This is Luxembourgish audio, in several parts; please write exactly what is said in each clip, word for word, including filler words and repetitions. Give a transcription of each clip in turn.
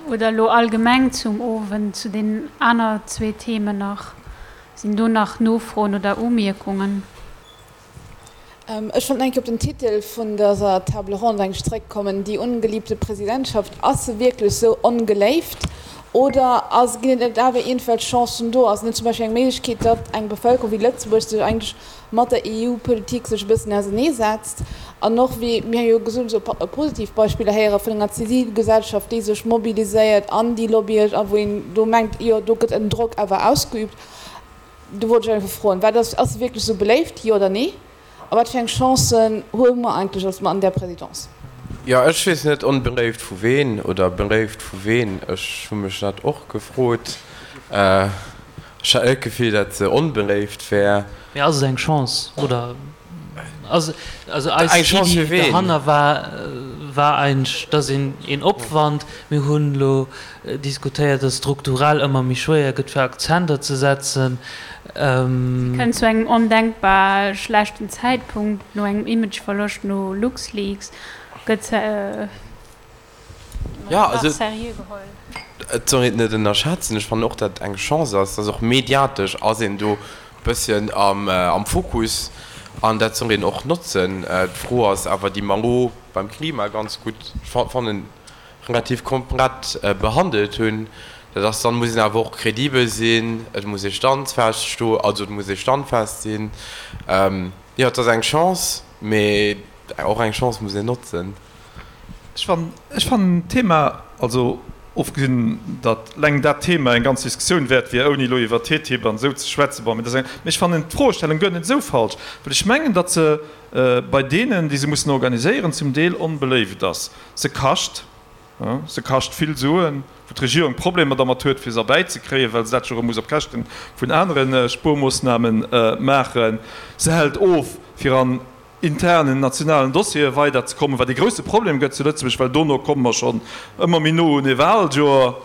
Oder elo allgemeng zum Owend, zu den aner zwee Themen nach? Sinn do nach Nofroen oder Umierkungen? Ech wollt nach eng Kéier op den Titel vun dëser Table ronde eng zréckkommen, Die ungeliebte Präsidentschaft. Ass se wierklech esou ongeléift oder ass, ginn et net awer iergendwelch Chancen do? Ass et net zum Beispill eng Méiglechkeet, datt eng Bevëlkerung wéi Lëtzebuerg sech eigentlech mat der E U-Politik sech e bëssen auserneesetzt an och, wéi mir jo gesot hunn, esou positiv Beispiller héiere vun enger Zivilgesellschaft, déi sech mobiliséiert an déi lobbyet a wou een do mengt, jo do gëtt en Drock awer ausgeübt. Do wollt ech einfach froen, wat ass, ass se wierklech esou beléift, jo oder nee? A wat fir eng Chancen hu mer eigentlech als an där Présidence? Jo, ech weess net, onbeléift vu ween oder beléift vu ween. Ech hu mech dat och gefrot. Ech hat net d'Gefill, datt se onbeléift wär. Mee ass et eng Chance oder ass also eis Eng Chance fir Iddi ween? dohanner war war eigentlech, dass een een Opwand, mir hunn elo diskutéiert, dass strukturell ëmmer méi schwéier gëtt fir Akzenter ze setzen. Si kënnt zu engem ondenkbar schlechten Zäitpunkt, no engem Imageverloscht no LuxLeaks gëtt se Ja, nach also seriö geholl. Et soll een et net ënnerschätzen. Ech fannen och, datt et eng Chance ass, dass och mediatesch ass een do e bësschen am Fokus an dat soll een och notzen. D'Fro ass awer, déi mer elo beim Klima ganz gutt, fannen, relativ komplett behandelt hunn, dat ass, dann muss een awer och kredibel sinn, et muss ee standfest sto, also et muss ee standfest sinn. Jo, et ass eng Chance, mee och eng Chance muss een notzen. Ech fannen, ech fannen d'Thema, also ofgesinn, datt eleng dat Thema eng ganz Diskussioun wäert wier, ouni elo iwwer T T I P an esou ze schwätzen, bon, mee dat ass eng, mee ech fannen d'Froestellung guer net esou falsch, well ech mengen, datt se bei deenen, déi se mussen organiséieren, zum Deel onbeléift ass. Se kascht, se kascht vill Suen, wou d'Regierung Problemer dermat huet, fir se erbäizekréien, well se dat jo erëm muss op Käschte vun anere Spuermoossname maachen. Se hält of, fir an internen nationalen Dossiere weiderzekommen, wat ee grousse Problem gëtt zu Lëtzebuerg, well dono komme mer schonn ëmmer méi no un ee Wahljoer.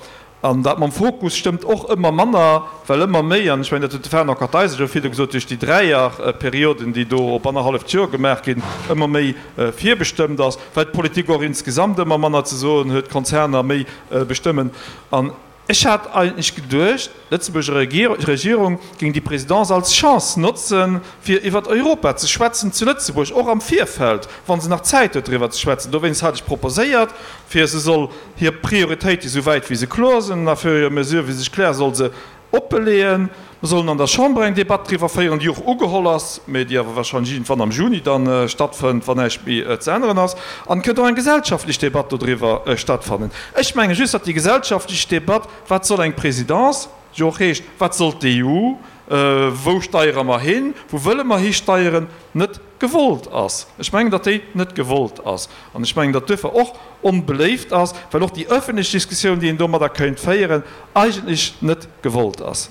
An dat mam Fokus stëmmt och ëmmer manner, well ëmmer méi, an ech mengen, dat huet de Fernand Kartheiser jo virdu gesot, duerch déi Dräierperioden, déi do op annerhalleft Joer gemaach ginn, ëmmer méi virbestëmmt ass, well d'Politik och insgesamt ëmmer manner ze soen huet, d'Konzerner méi bestëmmen. An ech hat eigentlech geduecht, d'Lëtzebuerger Regierung géing déi Présidence als Chance notzen, fir iwwert Europa ze schwätzen zu Lëtzebuerg, och am Virfeld, wa se nach Zäit huet driwwer ze schwätzen. Dowéinst hat ech proposéiert, fir se soll hir Prioritéite sou wäit wéi se kloer sinn, a fur et à mesure wéi se sech klären, soll se oppeleeën. Mer sollen an der Chamber eng Debatt driwwer féieren, déi och ugeholl ass, mä déi awer wahrscheinlech iergendwann am Juni da stattfënnt, wann näischt méi ze änneren ass. An et kënnt och eng gesellschaftlech Debatt dodriwwer stattfannen. Ech menge just, datt déi gesellschaftlech Debatt, wat soll eng Présidence, jo och heescht, wat soll d'E U, wou steiere mer hin, wou wëlle mer histeieren, net gewollt ass. Ech mengen, datt déi net gewollt ass. An ech mengen, datt duerfir och onbeléift ass, well och déi öffentlech Diskussioun, déi een domadder kéint féieren, eigentlech net gewollt ass.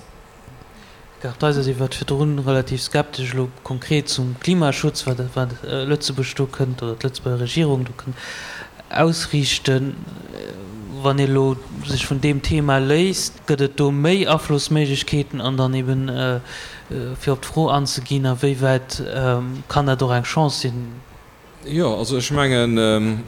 Kartheiser, Dir waart virdrun relativ skeptesch elo konkret zum Klimaschutz, wat wat Lëtzebuerg do kënnt oder d'Lëtzebuerger Regierung do kënnt ausriichten. Wann ee elo sech vun deem Thema léisst, gëtt et do méi Aflossméiglechkeeten? An dann eben, fir op d'Fro anzeginn, a wéi wäit kann dat och eng Chance sinn? Jo, also ech mengen,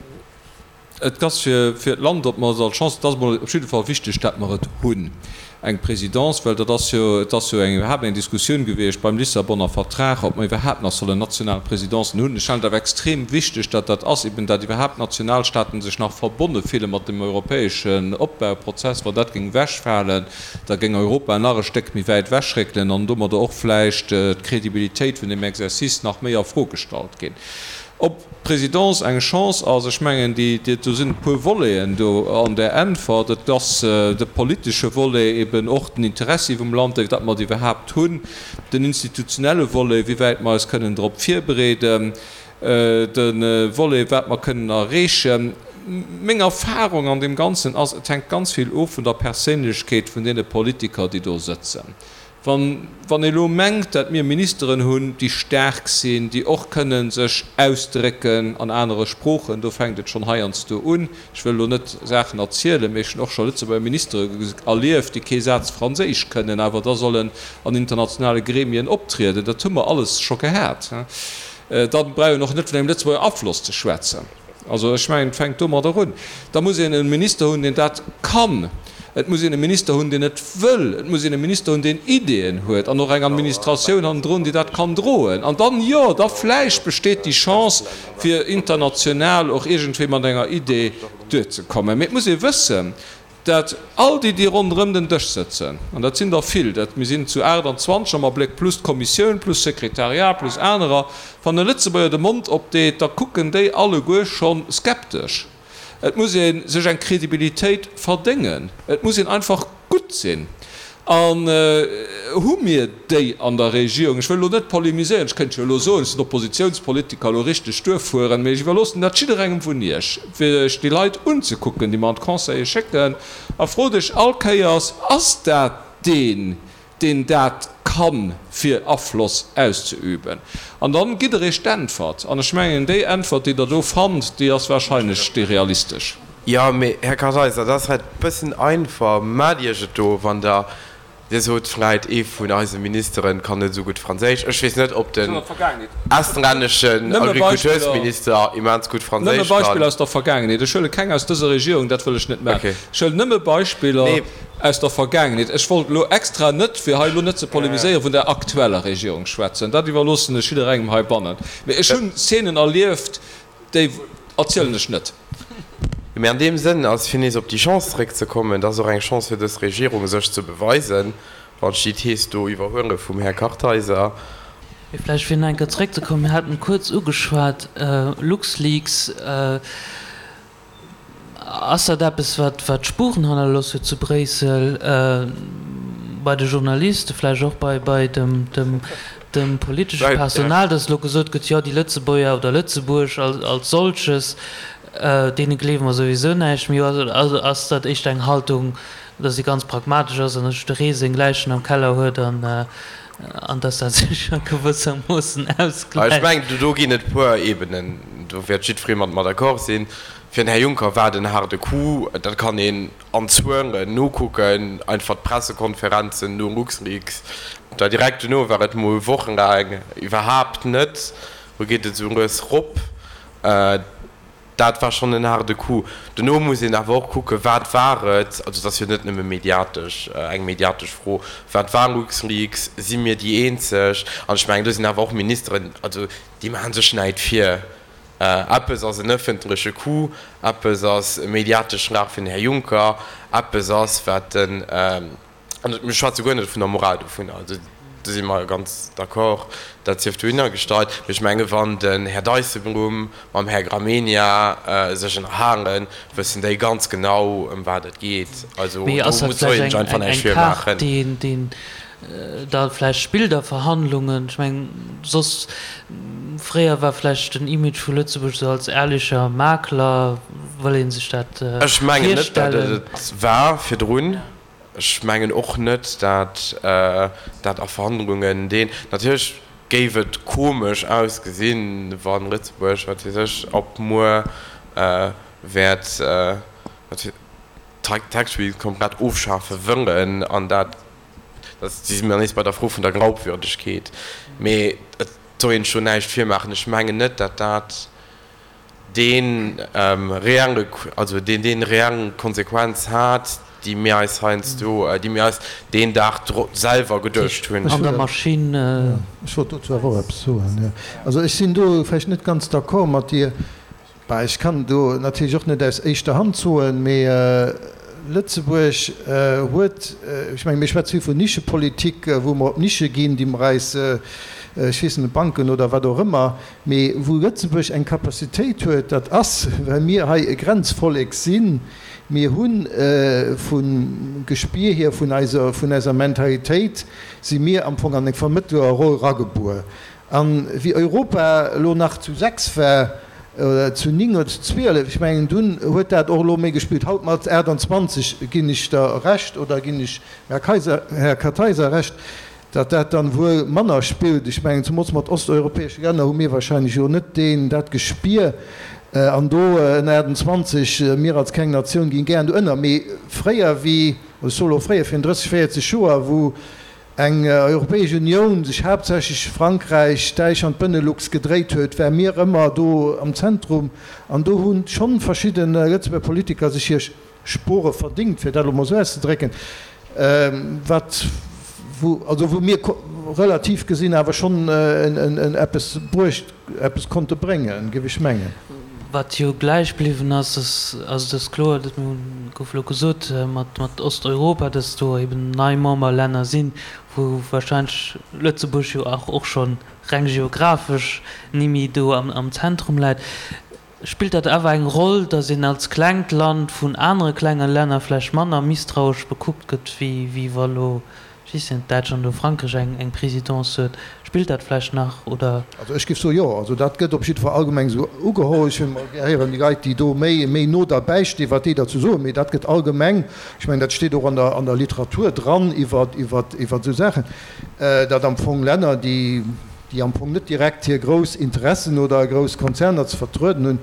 et ass fir fir d'Land, ob mer et als Chance, et ass emol op jidde Fall wichteg, dat mer et hunn, eng Présidence, well dat ass jo, et ass jo eng iwwerhaapt eng Diskussioun gewiescht beim Lissabonner Vertrag, ob mer iwwerhaapt nach sollen national Présidencen hunn. Ech halen et awer extrem wichteg, datt dat ass, eben dat iwwerhaapt Nationalstaaten sech nach verbonne fille mat dem europäeschen Opbauprozess. Wann dat géing ewechfalen, da géing Europa nach e Stéck méi wäit ewechréckelen an domadder och vläicht d'Crédibilitéit vun dem Exercice nach méi a Fro gestallt ginn. Ob d'Presidence eng Chance ass, ech mengen, déi, do sinn e puer Voleten do an där Äntwert. Et ass de politesche Volet, eben och den Interessi vum Land, datt mer et iwwerhaapt hunn, den institutionelle Volet, wéi wäit mer eis kënnen drop virbereeden, de Volet, wat mer kënnen erreechen. Meng Erfahrung an deem Ganzen ass, et hänkt ganz vill of vun der Perséinlechkeet vun deene Politiker, déi do sëtzen. Wann wann ee elo mengt, datt mir Ministeren hunn, déi staark sinn, déi och kënne sech ausdrécken an anere Sproochen, do fänkt et schonn heiansdo un, ech wëll elo net Saachen erzielen, mee ech hunn och scho Lëtzebuerger Ministere erlieft, déi kee Saz Franséisch kënnen, awer da sollen an internationale Gremien optrieden, dat hu mer alles scho gehat, da brauch een och net vun engem Lëtzebuerger Afloss ze schwätzen. Also ech mengen, et fänkt domadder un. Da muss een e Minister hunn, deen dat kann. Et muss een e Minister hunn, deen et wëll. Et muss een e Minister hunn, deen Ideeën huet an och eng Administratioun hannendrun, déi dat kann droen. An dann, jo, da vläicht besteet déi Chance, fir international och iergendwéi mat enger Idee duerzekommen. Mee et muss ee wëssen, dat all déi, déi ronderëm den Dësch sëtzen, an dat sinn der vill, dat, mir sinn zu aachtanzwanzeg am Abléck, plus d'Kommissioun, plus d'Sekretariat, plus anerer, wann e Lëtzebuerger de Mond opdeet, da kucken déi alleguer scho skeptesch. Et muss ee sech eng Kredibilitéit verdéngen. Et muss een einfach gutt sinn. An hu mir déi an der Regierung? Ech wëll elo net polemiséieren, ech kéint jo elo soen, ech sinn Oppositionspolitiker, elo richteg duerfueren, mee ech iwwerloossen dat jidderengem vun Iech, fir sech déi Leit unzekucken, déi mer an d'Conseile schécken, a frot Iech all Kéiers, Ass dat deen, deen dat kann, fir Afloss auszeüben? An dann gitt Der Iech d'Äntwert. An ech mengen, déi Äntwert, déi Der do fannt, déi ass wahrscheinlech déi realistesch. Jo, mee Här Kartheiser, dat ass vläicht e bëssen einfach. Maacht Iech et do, wann Der Dir sot vläit, ee vun eise Ministeren kann net esou gutt Franséisch. Ech weess net, ob den estränneschen Agricultursminister immens gutt Nëmme Franséisch Beispiller kann. aus der Vergaangenheet. Ech huele keng aus dëser Regierung, dat wëll ech net maachen. Okay. Ech huelen nëmme Beispiller Nee. aus der Vergaangenheet. Ech wollt elo extra net, fir hei elo net ze polemiséieren, vun der aktueller Regierung schwätzen. Dat iwwerloossen ech jidderengem heibannen. Mee ech hunn Szenen erlieft, déi erzielen ech net. Mee an deem Sënn ass, fir nees op déi Chance zréckzekommen, et ass och eng Chance fir dës Regierung, sech ze beweisen, wann ech déi Thees do iwwerhuele vum Här Kartheiser. Mee vläicht fir nach eng Kéier zréckzekommen, mir haten kuerz ugeschwat, LuxLeaks, ass dat eppes, wat wat Spuren hannerlooss huet zu Bréissel, bei de Journalisten, vläicht och bei bei dem dem dem politesche Personal, datt elo gesot gëtt, jo déi Lëtzebuerger oder Lëtzebuerg als als solches, Deene gleewe mer souwisou näischt méi. Also ass dat éischter eng Haltung, datt si ganz pragmatesch ass an datt jidderee seng Läichen am Keller huet an datt dat sech a gewëssermoossen Ech ausgläicht. mengen, do ginn et e puer Ebenen, do wäert jiddweree mat mer d'accord sinn. Fir den Här Juncker war et en haarde Coup, dat kann een an Zuelen nokucken, einfach d'Pressekonferenzen no LuxLeaks, da direkt dono war et mol wochenlaang iwwerhaapt net, lo geet et esou lues rop. Dat war schonn en haarde Coup. Dono muss een awer och kucken, wat war et, also et ass jo net nëmme mediatesch, eng mediatesch Fro, wat war LuxLeaks, si mir déi eenzeg? An ech mengen, do sinn awer och Ministeren, also déi maache sech näit vir. Eppes ass en ëffentleche Coup, eppes ass e mediatesch Schlag fir den Här Juncker, eppes ass, wat den, An mir schwätze guer net vun der Moral dovunner, also do si mer ganz d'accord, dat sief dohinner gestallt. Mee ech menge wann den Här Dijsselbloem mam Här Gramegna sech ënnerhalen, wëssen déi ganz genau ëm wat et geet. Also Mee do ass dat muss soll vläicht een sech eng einfach eng näischt eng Kaart, virmaachen. déi deen da vläicht spillt a Verhandlungen? Ech mengen, soss fréier war vläicht den Image vu Lëtzebuerg esou als ehrlicher Makler, wëll ee sech dat Ech mengen net, datt et virstellen. et war virdrun. Ech mengen och net, dat dat a Verhandlungen deen, natierlech géif et komesch ausgesinn, wa Lëtzebuerg, wat weess ech, ab muer wäert d'Tax Relief komplett ofschafe wëllen an dat, da si mir nees bei der Fro vun der Glaubwürdegkeet. Mee et soll een sech do näischt virmaachen. Ech mengen net, dat dat dee reelle, also deen deen reell Konsequenz hat, déi mir eis heiansdo, déi mir eis deen Dag selwer geduecht hunn. An der Maschinn. Ech wollt dozou awer och eppes soen, jo. Also ech sinn do vläicht net ganz d'accord mat dir. Bah, ech kann do natierlech och net aus éischter Hand soen, mee Lëtzebuerg huet, ech menge mir schwätze vill vun Nischepolitik, wou mer op Nische ginn, déi mer eis, ech weess net, Banken oder wat och ëmmer, mee wou Lëtzebuerg eng Capacitéit huet, dat ass, well mir hei e Grenzvollek sinn, mir hu vum Gespier hier, vun eiser, vun eiser Mentalitéit si mir am Fong an eng Vermëttlerroll eragebuer. A wéi Europa elo nach zu sechs war, oder zu ning oder zu zwielef, ech mengen, dunn huet dat och elo méi gespillt. Haut mat aachtanzwanzeg ginn ech der Recht, oder ginn ech Här Kaiser, Här Kartheiser Recht, datt dat dann wuel manner spillt. Ech mengen, zemools mat osteuropäesche Länner hu mir wahrscheinlech jo net deen, dat Gespier. An do ënner aachtanzwanzeg, mir als kleng Natioun ginn gären do ënner. Mee fréier wéi, ech soe lo fréier, virun drësseg, véierzeg Joer, wou eng Europäesch Unioun sech haaptsächlech Frankräich, Däitschland, Benelux gedréit huet, ware mir ëmmer do am Zentrum. An do hu schonn verschidde Lëtzebuerger Politiker sech hir Spore verdingt, fir dat elo mol esou auszedrécken, wat, wou, also wou mir relativ gesinn awer schonn eppes bruecht, eppes konnte bréngen, géif ech mengen. Wat jo gläich bliwwen ass, ass, also et ass kloer, dat gouf elo gesot, mat, mat Osteuropa, dass do eben nei Memberlänner sinn, wou wahrscheinlech Lëtzebuerg jo och, och schonn reng geographesch ni méi do am, am Zentrum läit. Spillt dat awer eng Roll, dass een als klengt Land vun anere klenge Länner vläicht manner misstrauesch bekuckt gëtt, wéi, wéi wa lo, ech weess net, Däitschland oder Frankräich eng, eng Présidence huet? Spillt dat vläicht nach, oder? Also ech géif soen, jo. Also dat gëtt op jidde Fall allgemeng esou ugeholl. Ech wëll mol gär héieren, déi Leit, déi do méi, méi no derbäi stinn, wat déi derzou soen. Mee dat gëtt allgemeng, ech mengen, dat steet och an der, an der Literatur dran iwwer, iwwer, iwwer esou Saachen, datt am Fong Länner, déi, déi am Fong net direkt hir grouss Interessen oder grouss Konzerner ze vertrueden hunn,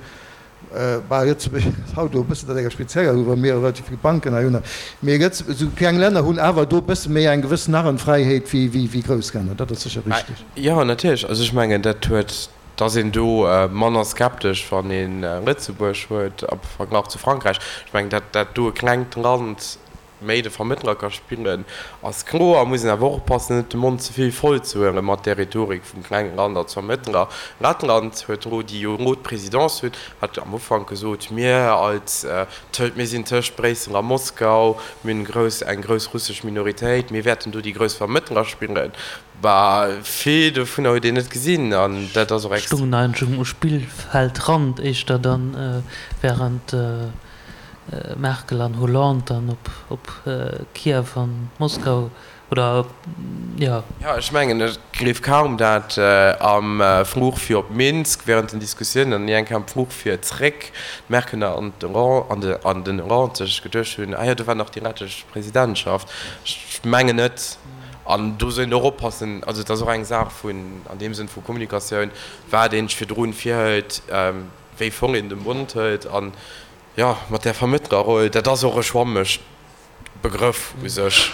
Bah, Lëtzebuerg ass haut elo e bëssen dat enger spezieller, well mir relativ vill Banken hei hunn. Mee esou kleng Länner hunn awer do e bësse méi eng gewëss Narrenfräiheet wéi grouss Länner. Dat ass sécher richteg. Jo, natierlech. Also ech mengen, dat huet, da ass een do manner skeptesch, wann ee Lëtzebuerg huet am Verglach zu Frankräich. Ech mengen, dat dat do e klengt Land méi de Vermëttler ka spillen, ass kloer. Muss een awer och oppassen, net de Mond ze vill voll ze huelen mat där Rhetorik vum klenge Land als Vermëttler. Lettland huet elo, déi jo elo d'Presidence hunn, hat am Ufank gesot, mir als, mir sinn tëscht Bréissel a Moskau, mir hunn grouss, eng grouss russesch Minoritéit, mir wäerten do déi grouss Vermëttler spillen. Bah, vill dovunner huet een net gesinn an dat ass och ex. Stungen eigentlech um Spillfeldrand éischter dann, während Merkel an Hollande dann op op Kiew an Moskau oder jo. Jo, ech mengen, et gleef kaum dat am Fluch fir op Minsk während den Diskussiounen an ni eng Kéier am Fluch fir zréck d'Merkel an an den Hollande sech geduecht hunn, ah jo, do war nach déi lettesch Presidentschaft. Ech mengen net. An do soll een och oppassen, also et ass och eng Saach vun, an deem Sënn vu Kommunikatioun, wat een sech virdrun virhëlt, wéi voll een de Mond hëlt an Jo, mat där Vermëttlerroll, dat ass och e schwammegt Begrëff u sech.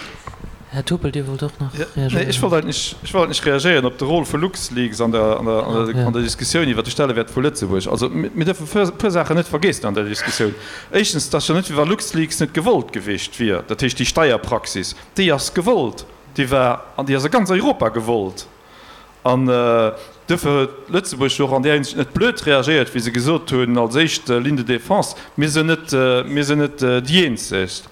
Här Topel, Dir wollt och nach reagéieren. Nee, ech wollt eigentlech, ech wollt eigentlech reagéieren op de Rôle vu LuxLeaks an der, an der, an der Diskussioun iwwert de Stellewäert vu Lëtzebuerg. Also, mir dierfe e puer Saachen net vergeessen an der Diskussioun. Éischtens, et ass jo net, wéi wa LuxLeaks net gewollt gewiescht wier. Dat heescht, déi Steierpraxis, déi ass gewollt, déi war an déi ass a ganz Europa gewollt. An duerfir huet Lëtzebuerg jo och an där Hinsicht net blöd reagéiert, wéi se gesot hunn als éischt Ligne de défense, mir sinn net, mir sinn net déi Eenzeg.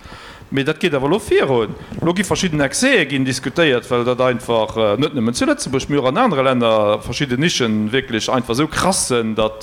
Mee dat geet awer elo virun. Elo gi verschidden Excèse ginn diskutéiert, well dat einfach net nëmmen zu Lëtzebuerg, mee och an anere Länner verschidden Nischen wierklech einfach esou krass sinn, datt,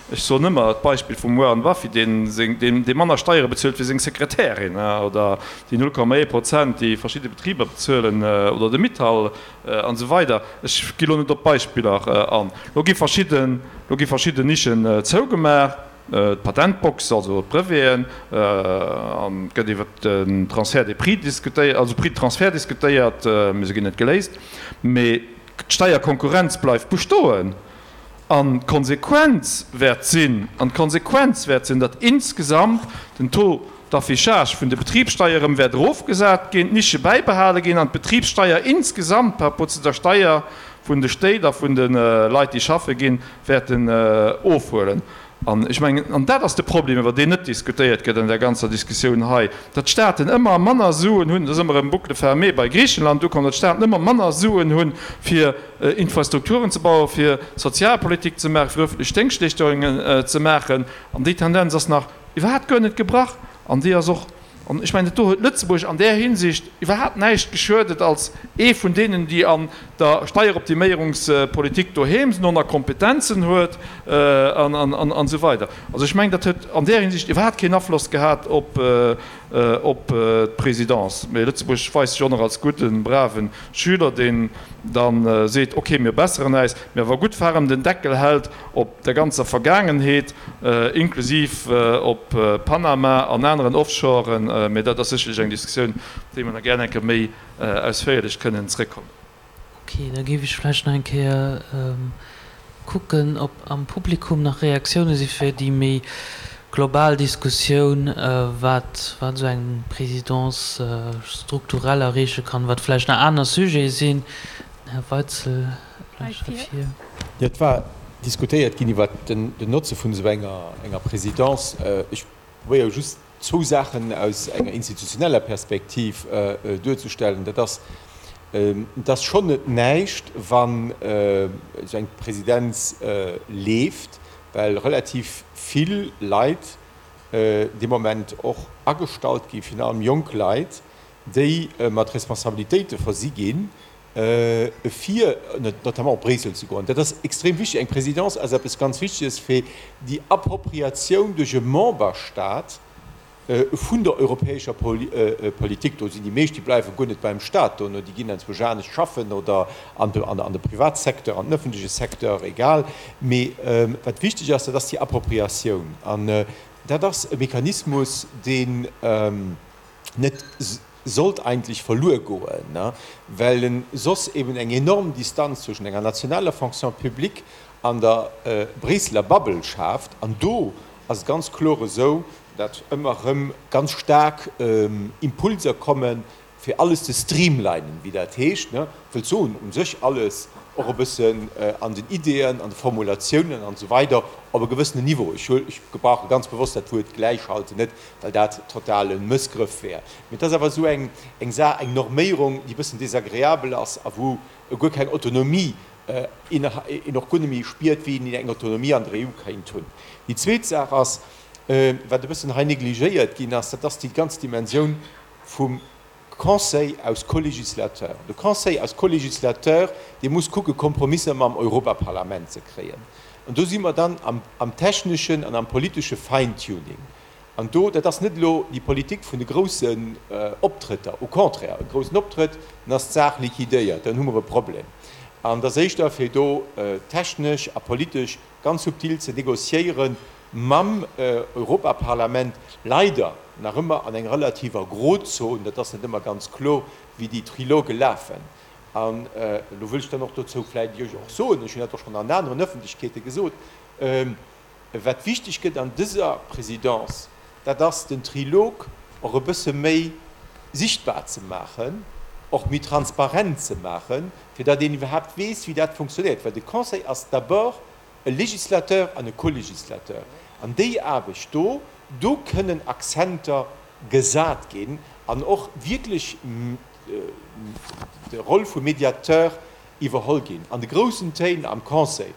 ech soen ëmmer d'Beispill vum Warren Buffett, deen seng, deen, dee manner Steiere bezuelt wéi seng Sekretärin, oder déi null Komma ee Prozent, déi verschidde Betriber bezuelen, oder de Mittal, An esou weider. Ech gi lo net op d'Beispiller an. Lo gi verschidden, lo gi verschidden Nischen zougemaach, d'Patentbox, also d'Breveten, an et gëtt iwwer den Transfert des prix diskutéiert, also Prix de transfert diskutéiert, mee se ginn net geléist. Mee d'Steierkonkurrenz bleift bestoen. An d'Konsequenz wäert sinn, an d'Konsequenz wäert sinn, datt insgesamt den Taux d'affichage vun de Betribssteier erëm wäert erofgesat ginn, d'Nische bäibehale ginn an d'Betribssteier insgesamt par rapport zu der Steier vun de Stéit a vun de Leit, déi schaffe ginn, wäerten ofhuelen. An ech mengen, an dat ass de Problem, iwwer deen net diskutéiert gëtt an där ganzer Diskussioun hei, datt d'Staaten ëmmer manner Suen hunn, et ass ëmmer erëm Boucle fermée bei Griichenland ukomm, datt d'Staaten ëmmer manner Suen hunn, fir Infrastrukturen ze bauen, fir Sozialpolitik ze maachen, fir öffentlech Déngschtleeschtungen ze maachen. An déi Tendenz ass nach iwwerhaapt guer net gebrach an déi ass och, an ech mengen, do huet Lëtzebuerg an där Hinsicht iwwerhaapt näischt geschuedet als ee vun deenen, déi an der Steieroptiméierungspolitik doheem sinn, och nach Kompetenzen huet an esou weider. Also ech mengen, dat huet an där Hinsicht iwwerhaapt keen Afloss gehat op d'Présidence. Mee Lëtzebuerg weist sech och nach als gudden, braven Schüler, deen da seet, okay, mir besseren äis, mee awer gutt ferm den Deckel hält op der ganzer Vergaangenheet, inklusiv op Panama an aneren Offshoren. Mee dat ass sécherlech eng Diskussioun, op déi mer nach gär eng Kéier méi ausféierlech kënnen zréckkommen. Okay, da géif ech vläicht nach eng Kéier kucken, ob am Publikum nach Reaktioune si fir déi méi global Diskussioun, wat wat esou eng Présidence strukturell erreeche kann, wat vläicht nach aner Sujete sinn. Den Här Weitzel vläicht hei vir. Jo, et war diskutéiert ginn iwwert den Notze vun esou enger enger Présidence. Ech probéiere just zwou Saachen aus enger institutioneller Perspektiv duerzestellen. Dat ass, et ass schonn net näischt, wann esou eng Presidenz leeft, well relativ vill Leit dee Moment och agestallt ginn, virun allem jonk Leit, déi mat Responsabilitéite versi ginn, fir notamment op Bréissel ze goen. Dat ass extrem wichteg. Eng Présidence ass eppes ganz Wichteges fir déi Appropriatioun duerch e Memberstaat vun der europäescher Politik. Do sinn déi meescht, déi bleiwe guer net beim Staat dono, déi ginn enzwousch anescht schaffen oder an de Privatsecteur, an den öffentleche Secteur, egal. Mee wat wichteg ass, dat ass déi Appropriatioun. An dat ass e Mechanismus, deen net sollt eigentlech verluer goen, well en soss eben eng enorm Distanz zwëschen enger nationaler Fonction publique an der Bréisseler Bubble schaaft. An do ass et ganz kloer esou, datt ëmmer erëm ganz staark Impulser kommen, fir alles ze streamlinen, wéi dat heescht, wëllt soen, u sech alles och e bëssen an den Ideeën, an de Formulatiounen an esou weider op e gewëssenen Niveau, ech gebrauche ganz bewosst dat Wuert gläichschalten net, well dat total e Mëssgrëff wär, mee et ass awer esou eng Saach, eng Norméierung, déi e bëssen desagreabel ass a wou guer keng Autonomie, een och guer net méi spiert, wéi een eng Autonomie an der E U kéint hunn. Déi zweet Saach ass, wat e bëssen hei negligéiert ginn ass, dat ass déi ganz Dimensioun vum Conseil aus Co-législateur. De Conseil als Co-législateur, dee muss kucke Kompromisser mam Europaparlament ze kréien. An do si mer dann am techneschen an am politesche Fine-tuning. An do, dat ass net elo déi Politik vun de groussen Optrëtter, au contraire, e groussen Optrëtt, dann ass d'Saach liquidéiert, dann hu mer e Problem. An et ass éischter fir do technesch a politesch ganz subtil ze négociéieren mam Europaparlament, leider nach ëmmer an enger relativer Grozon, dat ass net ëmmer ganz kloer, wéi déi Triloge lafen. An elo wëll ech dann och dozou vläicht Iech och soen, ech hunn dat och schonn an aneren Öffentlechkeete gesot, wat wichteg gëtt an dëser Présidence, dat ass den Trilog och e bësse méi sichtbar ze maachen, och méi transparent ze maachen, fir datt een iwwerhaapt weess, wéi dat funktionéiert. Well de Conseil ass d'abord e Législateur an e Co-législateur. An déi Aarbecht do, do kënnen Akzenter gesat ginn an och wierklech de Rôle vum Médiateur iwwerholl ginn. An de groussen Téin am Conseil,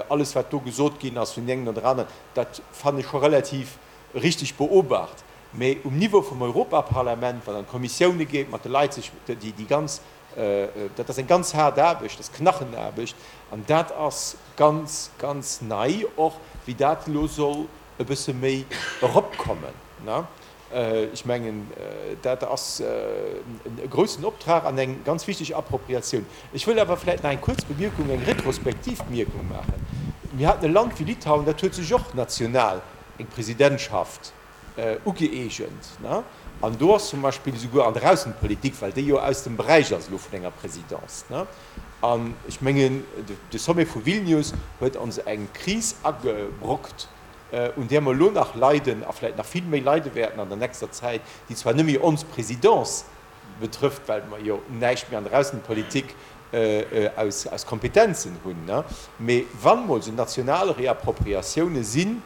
alles wat do gesot ginn ass vun deem engen oder aneren, dat fannen ech scho relativ richtig beobacht. Mä um Niveau vum Europaparlament, wann an d'Kommissioune geet, mat de Leit sech déi ganz, dat ass eng ganz haart Aarbecht, dat ass Knachenaarbecht an dat ass ganz, ganz nei och, wéi dat elo soll e bësse méi eropkommen. Ech mengen, dat ass e groussen Optrag an eng ganz wichteg Appropriatioun. Ech wëll awer vläicht nach eng kuerz Bemierkung, eng retrospektiv Bemierkung maachen. Mir haten e Land wéi Litauen, dat huet sech och national eng Presidentschaft ugëeegent. An do ass zum Beispill esouguer an der Aussenpolitik, well déi jo aus dem Beräich ass elo vun enger Présidence, an ech mengen, de Sommet vu Vilnius huet ons eng Kris agebrockt, un där mer elo nach leiden a vläicht nach vill méi leide wäerten an der nächster Zäit, déi zwar net méi ons Présidence betrëfft, well mer jo näischt méi an der Aussenpolitik aus Kompetenzen hunn, mee wann emol esou national Reappropriatioune sinn,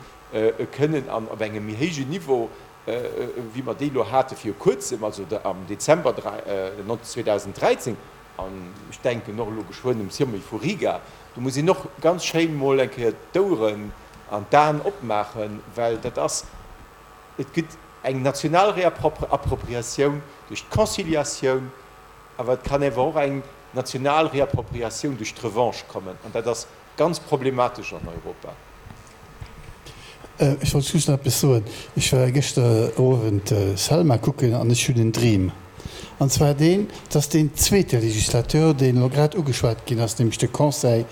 kënnen an op engem méi héijen Niveau, wéi mer déi elo hate viru Kuerzem, also am Dezember zweedausenddräizéng, an ech denken och elo geschwënn um Sommet vu Riga, do muss een och ganz schéin emol eng Kéier d'Oueren an d'Aen opmaachen, well dat ass, et gëtt eng national Reappropriatioun duerch d'Conciliatioun, awer et kann awer och eng national Reappropriatioun duerch d'Revanche kommen, an dat ass ganz problematesch an Europa. Ech wollt just nach eppes soen. Ech war gëschter Owend Selma kucken an ech hunn en Dream. An zwar deen, dass deen zweete Législateur, deen elo grad ugeschwat ginn ass, nämlech de Conseil,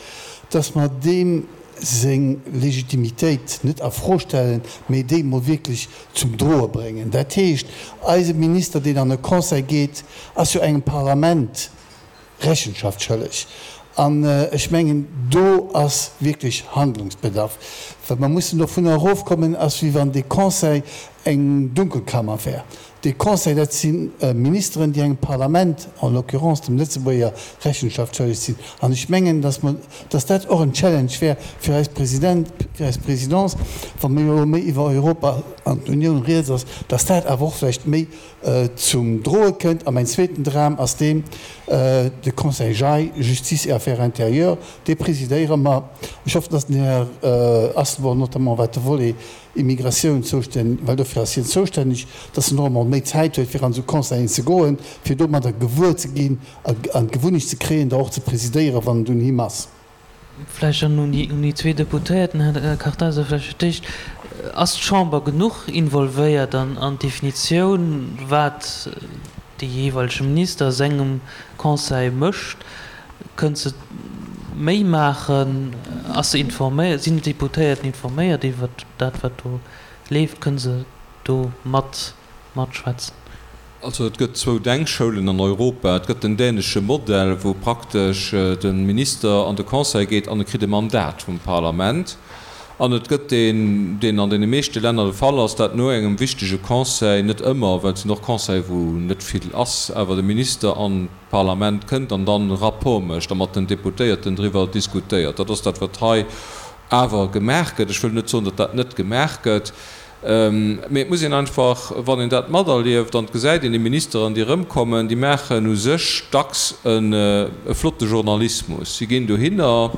dass mer deem seng Legitimitéit net a Fro stellen, mee déi mol wierklech zum Droe bréngen. Dat heescht, eise Minister, deen an e Conseil geet, ass jo engem Parlament Rechenschaft schëlleg. An ech mengen, do ass wierklech Handlungsbedarf, well mer mussen dovunner erofkommen, ass wéi wann dee Conseil eng Dunkelkammer wär. Dee Conseil, dat si Ministeren, déi engem Parlament, en l'occurrence dem Lëtzebuerger, Rechenschaft schëlleg sinn. An ech mengen, dass mer, dass dat och en Challenge wär fir eis President, fir eis Présidence, wa mir elo méi iwwer Europa an d'Unioun rieds ass, dass dat awer och vläicht méi zum Droe kënnt. A mäin zweeten Dram ass deen, de Conseil JAI, Justice et Affaires intérieures, dee presidéiere mer. Ech hoffen, dass den Här Asselborn, notamment wat de Volet Immigratioun zoustänneg, well dofir ass hien zoustänneg, dass en och emol méi Zäit huet, fir an esou Conseillen ze goen, fir domadder gewuer ze ginn an d'Gewunnecht ze kréien, der och ze presidéieren, wann et un him ass. Vläicht dann un déi zwee Deputéierten, Här Kartheiser, vläicht fir d'éischt, Ass d'Chamber genuch involvéiert an d'Definitioun, wat de jeeweilege Minister a sengem Conseil mécht? Kënnt se méi maachen? Ass se informéiert? Sinn d'Deputéierten informéiert iwwert dat, wat do leeft? Kënne se do mat matschwätzen? Also et gëtt zwou Denkschoulen an Europa. Et gëtt den dänesche Modell, wou praktesch de Minister an de Conseil geet an e kritt e Mandat vum Parlament. An et gëtt deen, deen an deene meeschte Länner de Fall ass, dat no engem wichtege Conseil, net ëmmer, well et sinn och Conseile wou net vill ass, awer de Minister an d'Parlament kënnt an dann e Rapport mécht a mat den Deputéierten driwwer diskutéiert. Dat ass dat, wat hei awer gemaach gëtt. Ech wëll net soen, datt dat net gemaach gëtt, mee et muss een einfach, wann een dat materlieft an et gesäit een déi Ministeren, déi erëmkommen, déi maachen u sech dacks e flotte Journalismus. Si ginn dohinner,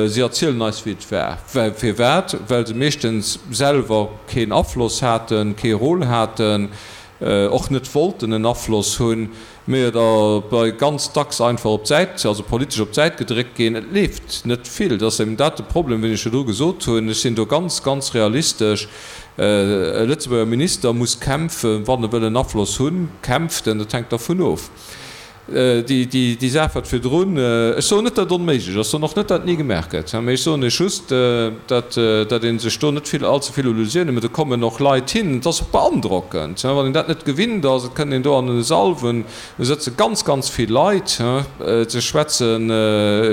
si erzielen eis, wéi et war. Firwat? Well se meeschtens selwer keen Afloss haten, kee Rôle haten, och net wollten en Afloss hunn, mee et bei ganz dacks einfach op d'Säit, also politesch op d'Säit gedréckt ginn. Et leeft net vill. Et ass eben dat de Problem, wéi ech virdru gesot hunn. Ech sinn do ganz, ganz realistesch. E Lëtzebuerger Minister muss kämpfen, wann e wëll en Afloss hunn. Kämpft en, dat hänkt dervun of. Déi Saach wat virdrun, ech soen net, datt et onméiglech ass, ech soen och net, datt et ni gemaach gëtt, mee ech soen Iech just, datt ee sech do net vill, allze vill Illusiounen mécht. Do kommen och Leit hin, et ass och beandrockend, wann een dat net gewinnt ass, et kënnt een do an e Sall, wou sëtze ganz, ganz vill Leit, se schwätze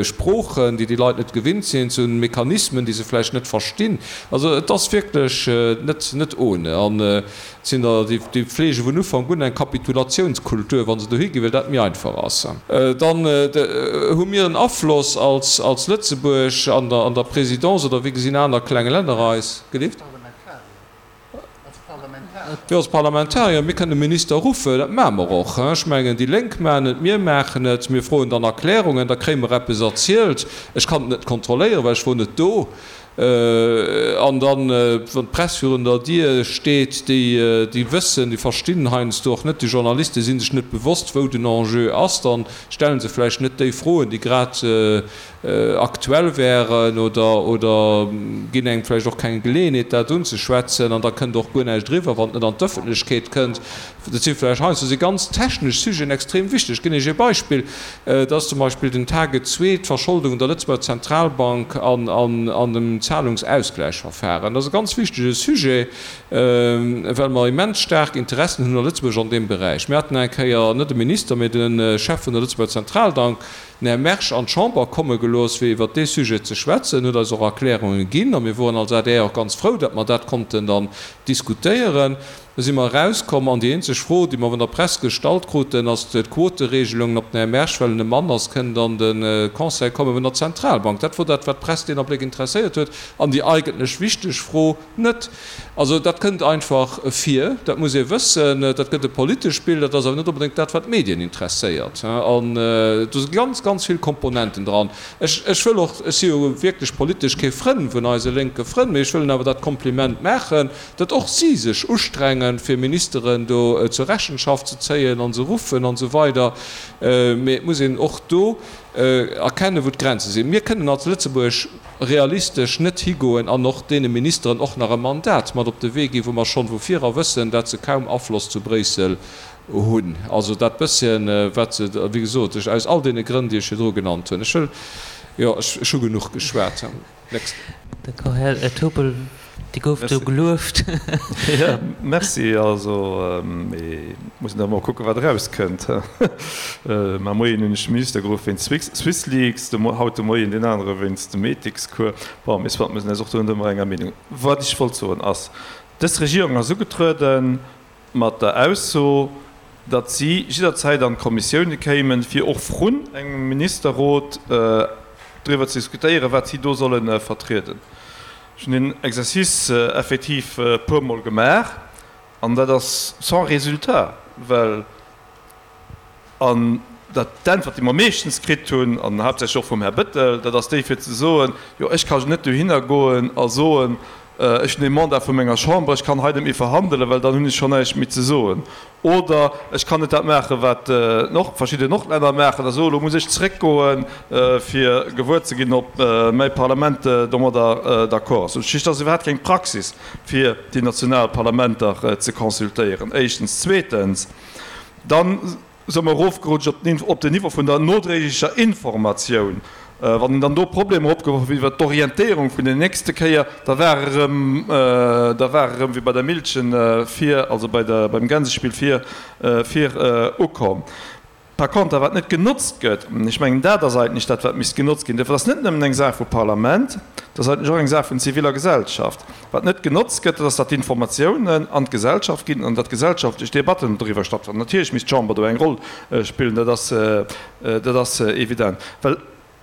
Sproochen, déi déi Leit net gewinnt sinn, se hunn Mechanismen, déi se vläicht net verstinn. Also et ass wierklech net, net ohne. An Et sinn der, déi fleege vun Ufank un eng Kapitulatiounskultur, wa se dohi ginn, well dat méi einfach ass. Dann hu mir en Afloss als Lëtzebuerg an der Présidence, oder wéi gesinn aner kleng Länner eis? Gelift? Jo, als Parlamentarier, mir kënnen Minister ruffen, dat maache mer och. Ech mengen, déi Lénk maachen et, mir maachen et, mir froen dann Erklärungen, da kréie mer eppes erzielt. Ech kann et net kontrolléieren, well ech wor net do. An dann, wann d'Press virun der Dier steet, déi, déi wëssen, déi verstinn heiansdo och net, déi Journaliste si sech net bewosst, wou den Enjeu ass, dann stelle se vläicht net déi Froen, déi grad aktuell wären oder, oder ginn engem vläicht och keng Geleeënheet, dat unzeschwätzen. An da kënnt och guer näischt eriwwer, wann et net an d'Ëffentlechkeet kënnt. Dat si vläicht heiansdo si ganz technesch Sujeten extrem wichteg. Ech ginn Iech ee Beispill, Dat ass zum Beispill den Target zwee, d'Verscholdung der Lëtzebuerger Zentralbank an, an, an dem Zahlungsausgleichverfahren. Dat ass e ganz wichtege Sujet, well mer immens staark Interessen hunn a Lëtzebuerg an deem Beräich. Mir haten eng Kéier net de Minister, mee de Chef vun der Lëtzebuerger Zentraldank, den Här Mersch, an d'Chamber komme gelooss, fir iwwert dee Sujet ze schwätzen, huet eis och Erklärunge ginn a mir woren als adr och ganz frou, datt mer dat konnten dann diskutéieren. Da si mer erauskomm an déi eenzeg Fro, déi mer vun der Press gestallt kruten, ass d'Quoteregelung, ob den Här Mersch, well en e Mann ass, kënnt an de Conseil komme vun der Zentralbank. Dat wor dat, wat d'Press deen Abléck interesséiert huet an déi eigentlech wichteg Fro net. Also dat kënnt einfach vir, dat muss ee wëssen, dat gëtt e politesch Bild, dat ass awer net onbedéngt dat, wat d'Medien interesséiert. An do si ganz, ganz vill Komponenten dran. Ech, ech wëll och, ech si jo wierklech politesch kee Frënn vun eise lénke Frënn, mee ech wëllen awer dat Kompliment maachen, datt och si sech ustrengen, fir Ministeren do zur Rechenschaft ze zéien an se ruffen an esou weider. Mee et muss een och do erkennen, wou d'Grenze sinn. Mir kënnen als Lëtzebuerg realistesch net higoen an och deene Ministeren och nach e Mandat mat op de Wee ginn, wou mer schonn vu virer wëssen, dat se kaum Afloss zu Bréissel hunn. Also dat bësschen, wat se, wéi gesot, ech aus all deene Grënn, déi ech virdru genannt hunn. Ech wëll, jo, ech hu genuch geschwat. Next. D'accord. Här Turpel, Dir gouft do gelueft. Jo, merci. Also, mee mussen da mol kucken, wat erauskënnt. Mar Moien hunn ech de Minister geruff wéinst Swissleaks, haut de Moien deen anere wéinst dem Ethikscours. Bon, mee soit, mir sinn eis och do net ëmmer enger Meenung. Wat ech wollt soen ass, Dës Regierung ass ugetruede mat der Ausso, datt si jidderzäit an d'Kommissioune kéimen, fir och vrun engem Ministerrot driwwer ze diskutéieren, wat si do solle vertrieden. Ech hunn deen Exercice effektiv e puermol gemaach an dat ass sans résultat, well, an dat d'Äntwert, déi mer meeschtens kritt hunn, an haaptsächlech och vum Här Bettel, dat ass déi fir ze soen, jo ech ka net dohinner goen a soen, ech hunn ee Mandat vu menger Chamber, ech kann hei net méi verhandelen, well dann hunn ech schonn näischt méi ze soen. Oder ech kann net dat maachen, wat verschidden Nordlänner maachen a soen, elo muss ech zréckgoen, fir gewuer ze ginn, ob mäi Parlament domadder d'accord ass. Dat heescht, et ass iwwerhaapt keng Praxis, fir déi national Parlamenter ze consultéieren, éischtens. Zweetens, dann si mer erofgerutscht op den Niveau vun der nodréiglecher Informatioun. Wann een dann do Problemer opgeworf huet iwwert d'Orientéierung vun der nächste Kéier, da war erëm, da war erëm wéi bei der Millchen vir, also bei der, beim Gänsespill vir, vir ukomm. Par conter, wat net genotzt gëtt, an ech mengen, dat ass eigentlech dat, wat misst genotzt ginn, dat ass net nëmmen eng Saach vu Parlament, dat ass eigentlech och eng Saach vun ziviller Gesellschaft. Wat net genotzt gëtt, dat ass, datt d'Informatiounen an d'Gesellschaft ginn an datt gesellschaftlech Debatten doriwwer stattfannen. Natierlech misst d'Chamber do eng Roll spillen, dat ass, dat ass evident, well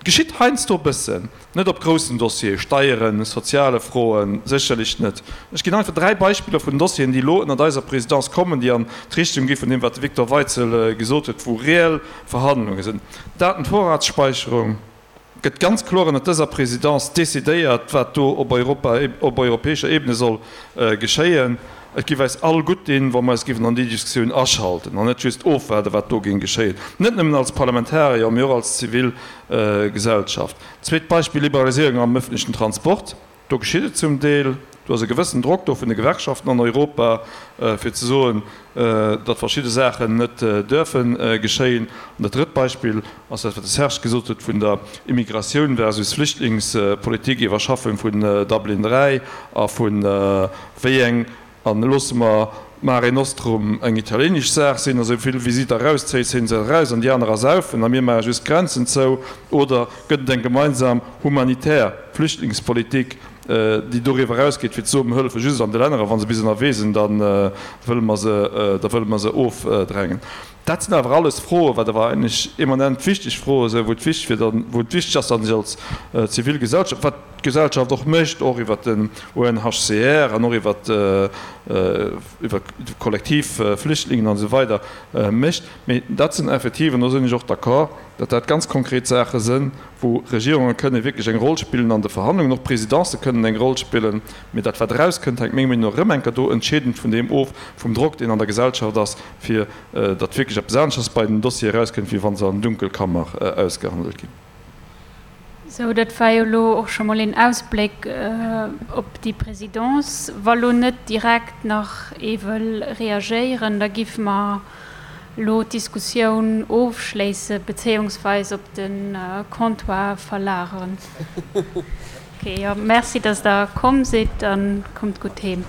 Et geschitt heiansdo e bëssen, net op groussen Dossiere, Steieren, soziale Froen, sécherlech net. Ech ginn einfach dräi Beispiller vun Dossieren, déi elo ënnert eiser Présidence kommen, déi an d'Richtung gi vun deem, wat de Victor Weitzel gesot huet, wou reell Verhandlunge sinn. Datenvorratsspeicherung gëtt ganz kloer ënnert dëser Présidence decidéiert, wat do op Europa, op europäescher Ebene soll geschéien. Et géif eis all gutt dinn, wa mer eis géifen an déi Diskussioun aschalten an net just ofwaarden, wat do géing geschéien, net nëmmen als Parlamentarier, mee och als zivil Gesellschaft. Zweet Beispill, Liberaliséierung am öffentlichen Transport. Do geschitt et zum Deel. Do ass e gewëssen Drock do vun de Gewerkschaften an Europa, fir ze soen, datt verschidde Saachen net duerfe geschéien. An dat drëtt Beispill ass dat, wat de Serge gesot huet vun der Immigratioun versus Flüchtlingspolitik, Iwwerschaffung vun Dublin dräi a vu wéi eng An loosse mer Mare Nostrum eng italienesch Saach sinn, a sou vill wéi si der erauszéien, zéien se eraus an déi aner ersaufen a mir maache just d'Grenzen zou? Oder gëtt et eng gemeinsam humanitär Flüchtlingspolitik, déi doriwwer erausgeet, fir ze soen, mir hëllefe just an de Länner a wa se bis ënnerwee sinn, da wëlle mer se, da wëlle mer se ofdrängen? Dat sinn awer alles Froen, wat awer eigentlech eminent wichteg Froe sinn, wou et wichteg wier, wou et wichteg ass, datt sech als Zivilgesellschaft, wat d'Gesellschaft och mécht, och iwwert den U N H C R an och iwwert iwwer kollektiv Flüchtlingen an esou weider mécht. Mee dat sinn effektiv, an do sinn ech och d'accord, datt dat ganz konkret Saache sinn, wou Regierunge kënne wierklech eng Roll spillen an de Verhandlungen, och Présidencë kënnen eng Roll spillen. Mee dat, wat erauskënnt, hänkt meng Meenung no erëm eng Kéier do entscheedend vun deem of, vum Drock, deen an der Gesellschaft ass, fir datt wierklech eppes aneschters bei den Dossiere erauskënnt, wéi wa se an Dunkelkammer ausgehandelt ginn. Sou, dat war jo elo och scho mol een Ausbléck op déi Présidence. Wa lo net direkt nach ee wëll reagéieren, da géife mer elo d'Diskussioun ofschléisse bezéiungsweis op de Comptoir verlageren. Ok, jo, merci, dass Der komm sidd a kommt gutt heem.